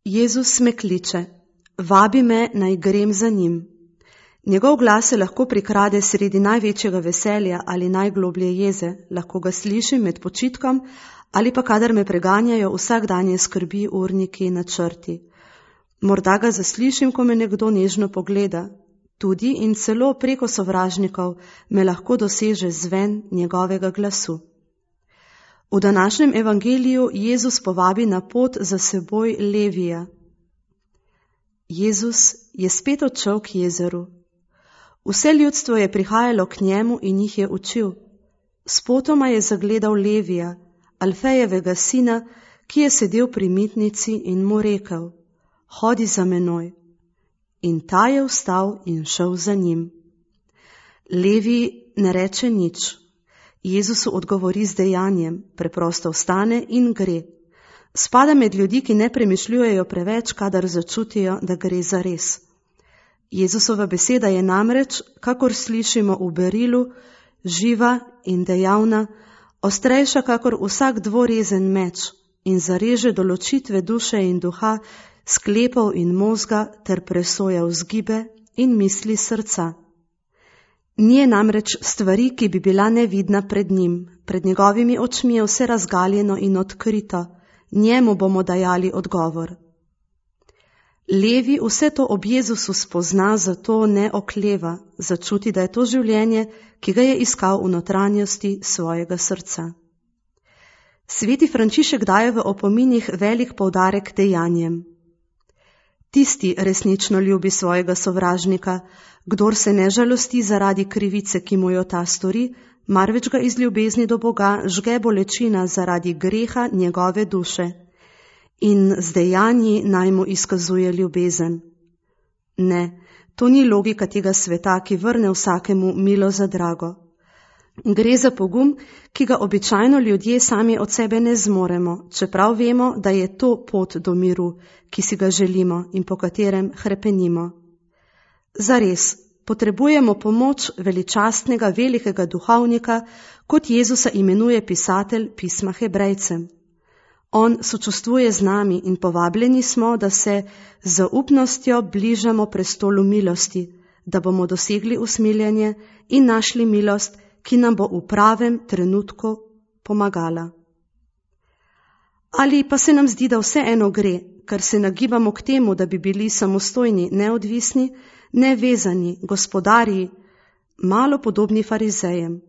Jezus me kliče, vabi me, naj grem za njim. Njegov glas se lahko prikrade sredi največjega veselja ali najgloblje jeze, lahko ga slišim med počitkom ali pa kadar me preganjajo vsakdanje skrbi, urniki, načrti. Morda ga zaslišim, ko me nekdo nežno pogleda. Tudi in celo preko sovražnikov me lahko doseže zven njegovega glasu. V današnjem evangeliju Jezus povabi na pot za seboj Levija. Jezus je spet odšel k jezeru. Vse ljudstvo je prihajalo k njemu in jih je učil. Spotoma je zagledal Levija, Alfejevega sina, ki je sedel pri mitnici in mu rekel: hodi za menoj. In ta je vstal in šel za njim. Levi ne reče nič. Jezusu odgovori z dejanjem, preprosto vstane in gre. Spada med ljudi, ki ne premišljujejo preveč, kadar začutijo, da gre za res. Jezusova beseda je namreč, kakor slišimo v berilu, živa in dejavna, ostrejša kakor vsak dvorezen meč in zareže do ločitve duše in duha, sklepov in možga ter presoja vzgibe in misli srca. Nije namreč stvari, ki bi bila nevidna pred njim. Pred njegovimi očmi je vse razgaljeno in odkrito. Njemu bomo dajali odgovor. Levi vse to ob Jezusu spozna, zato ne okleva, začuti, da je to življenje, ki ga je iskal v notranjosti svojega srca. Sveti Frančišek daje v opominih velik poudarek dejanjem. Tisti resnično ljubi svojega sovražnika, kdor se ne žalosti zaradi krivice, ki mu jo ta stori, marveč ga iz ljubezni do Boga žge bolečina zaradi greha njegove duše in z dejanji naj mu izkazuje ljubezen. Ne, to ni logika tega sveta, ki vrne vsakemu milo za drago. Gre za pogum, ki ga običajno ljudje sami od sebe ne zmoremo, čeprav vemo, da je to pot do miru, ki si ga želimo in po katerem hrepenimo. Zares, potrebujemo pomoč veličastnega velikega duhovnika, kot Jezusa imenuje pisatelj pisma Hebrejcem. On sočustvuje z nami in povabljeni smo, da se z zaupnostjo bližamo prestolu milosti, da bomo dosegli usmiljenje in našli milost, ki nam bo v pravem trenutku pomagala. Ali pa se nam zdi, da vseeno gre, ker se nagibamo k temu, da bi bili samostojni, neodvisni, nevezani, gospodarji, malo podobni farizejem.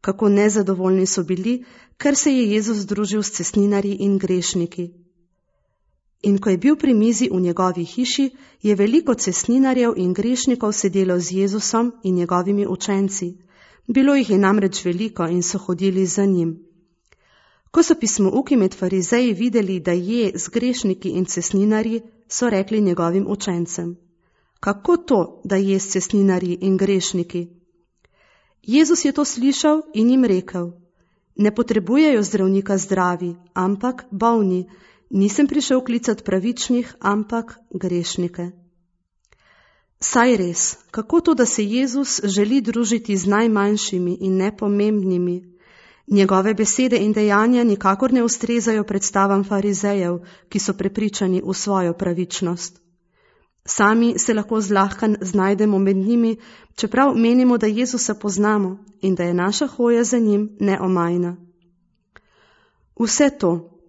Kako nezadovoljni so bili, ker se je Jezus združil s cestninarji in grešniki. In ko je bil pri mizi v njegovi hiši, je veliko cestninarjev in grešnikov sedelo z Jezusom in njegovimi učenci. Bilo jih je namreč veliko in so hodili za njim. Ko so pismouki med farizeji videli, da je z grešniki in cestninarji, so rekli njegovim učencem: kako to, da je s cestninarji in grešniki? Jezus je to slišal in jim rekel: ne potrebujejo zdravnika zdravi, ampak bolni. Nisem prišel klicati pravičnih, ampak grešnike. Saj res, kako to, da se Jezus želi družiti z najmanjšimi in nepomembnimi? Njegove besede in dejanja nikakor ne ustrezajo predstavam farizejev, ki so prepričani v svojo pravičnost. Sami se lahko zlahka znajdemo med njimi, čeprav menimo, da Jezusa poznamo in da je naša hoja za njim neomajna. Vse to,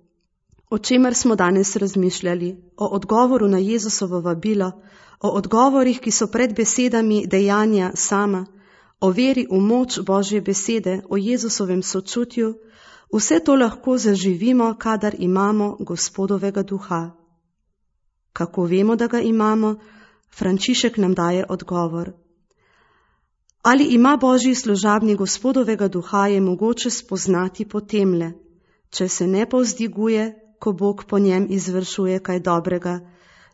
o čemer smo danes razmišljali, o odgovoru na Jezusovo vabilo, o odgovorih, ki so pred besedami dejanja sama, o veri v moč Božje besede, o Jezusovem sočutju, vse to lahko zaživimo, kadar imamo Gospodovega duha. Kako vemo, da ga imamo? Frančišek nam daje odgovor. Ali ima Božji služabnik Gospodovega duha, je mogoče spoznati po temle, če se ne povzdiguje, ko Bog po njem izvršuje kaj dobrega,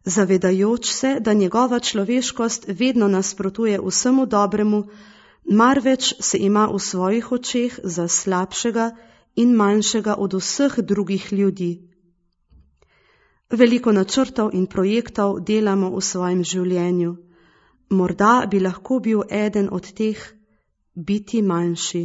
zavedajoč se, da njegova človeškost vedno nasprotuje vsemu dobremu, marveč se ima v svojih očeh za slabšega in manjšega od vseh drugih ljudi. Veliko načrtov in projektov delamo v svojem življenju. Morda bi lahko bil eden od teh biti manjši.